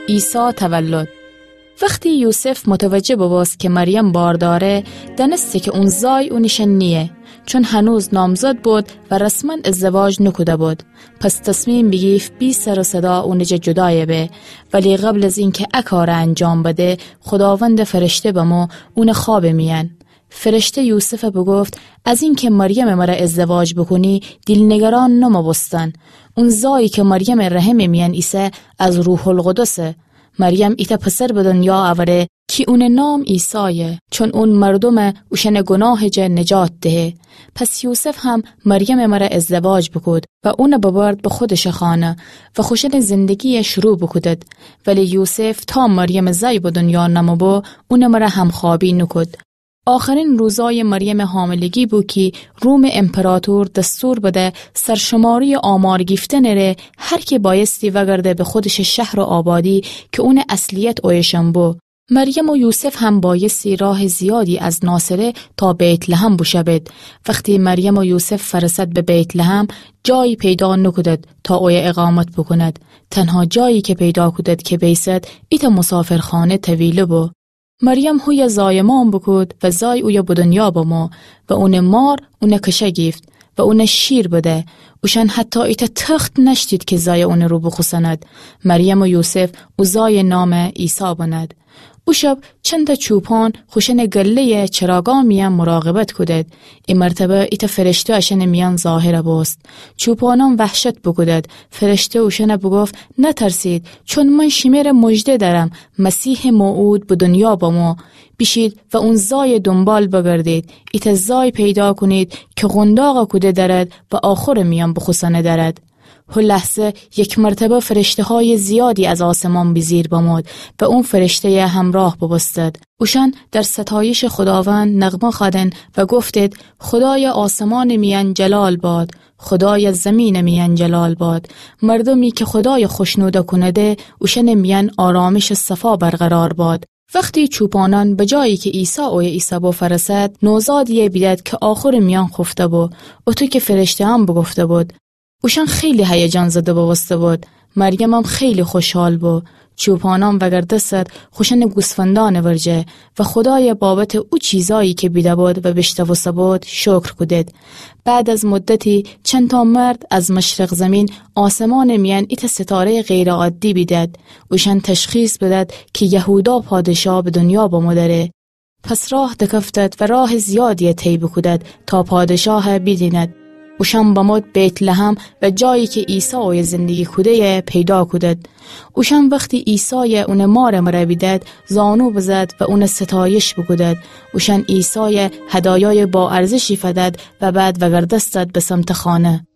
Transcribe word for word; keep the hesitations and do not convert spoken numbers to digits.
عیسی تولد. وختی یوسف متوجه ببوست کی مریم بار دأره، دأنسته کی اون زای اونٚ شأن نییه، چون هنوز نامزد بود و رسماً ازدواج نوکوده بود. پس تصمیم بیگیفت بی سر و صدا اونٚ جا جودایه به. ولی قبل از اینکه ا کارٚ انجام بده، خوداوندٚ فرشته بمو اونٚ خوابٚ میأن. فرشته یوسفَ بوگفت: از اینکه مریمٚ مره ازدواج بوکونی، دیل‌نگران نوموبوستن. اون زایی کی مریمٚ رحمٚ میأن ایسه، از روح‌القدسه. مریم ایتأ پسر به دنیا اوره کی اونٚ نام عیسایه، چون اون مردومَ اوشأنٚ گوناهٚ جا نجات دهه. پس یوسف هم مریمٚ مره ازدواج بوکود و اونَ ببرد به خودشٚ خانه و خوشأنٚ زندگیَ شروع بوکودد. ولی یوسف تا مریمٚ زای به دنیا نموبو، اونٚ مره همخوابی نوکود. آخرین روزای مریمٚ حاملگی بو کی رومٚ امپراطور دستور بده سرشماری آمار گیفتنٚ ره هر کی بایستی وگرده به خودشٚ شهر و آبادی کی اونٚ اصلیت اویه شن بو. مریم و یوسف هم بایستی راه زیادی از ناصره تا بیت‌لحم بوشوید. وختی مریم و یوسف فرسد به بیت‌لحم، جایی پیدا نوکودد تا اویه اقامت بوکوند. تنها جایی کی پیدا کودد کی بیسد، ایتأ مسافرخانه طویله بو. مریم هویه زایمان بوکود و زای اویه به دنیا بمو و اونٚ مار اونَ کشه گیفت و اونَ شیر بده. اوشأن حتی ایتأ تخت نأشتید کی زای اونٚ رو بوخوسند. مریم و یوسف او زایٚ نام عیسی بنهد. او شب چندتأ چوپان خوشأنٚ گله‌یٚ چراگا میأن مراقبت کودد. ای مرتبه ایتأ فرشته اشأنٚ میأن ظاهر بوست. چوپانان وحشت بوکودد. فرشته اوشأنَ بوگفت: نترسید، چون من شیمره مژده دأرم، مسیحٚ موعود به دنیا بمو. بیشید و اون زایٚ دونبال بگردید. ایتأ زای پیدا کونید کی قونداقَ کوده دأرد و آخورٚ میأن بوخوسأنه دأرد. هو لحظه یک مرتبه فرشته‌های زیادی از آسمان بیجیر بمود و اون فرشته‌یٚ همراه بوبوستد. اوشأن در ستایشٚ خوداوند نغمه خوأدن و گفتید: خدای آسمانٚ میأن جلال باد، خدای زمینٚ میأن جلال باد. مردومی کی خدای خوشنود کونده، اوشأنٚ میأن آرامشٚ صفا برقرار باد. وختی چوپانان به جایی کی عیسی اویه ایسه‌بو فرسد، نوزادی‌یی بیدد کی آخورٚ میأن خوفته‌بو، اوطو کی فرشته‌یأن بوگفته‌بود. اوشأن خیلی هیجان زده بوبوسته‌بود. مریمم خیلی خوشحال بو. چوپانان وگردستد خوشأنٚ گوسفندأنٚ ورجه و خدای بابتٚ او چیزایی کی بیده‌بود و بیشنوسته‌بود شکر کودید. بعد از مدتی چندتأ مرد از مشرق زمین آسمانٚ میأن ایتأ ستاره‌یٚ غیرعادی بیدد. اوشأن تشخیص بدد کی یهودا پادشاه به دنیا بمو دأره. پس راه دکفتد و راه زیادی طی بوکودد تا پادشاه بیدیند. اوشأن بمود بیت‌لحم و جایی کی عیسی اویه زندگی کوده‌یی پیدا کودد. اوشأن وختی عیسای اونٚ مارٚ مره بیدد، زانو بزد و اونٚ ستایش بوکودد. اوشأن عیسای هدایای با ارزشی فدد و بعد وگردستد به سمتٚ خانه.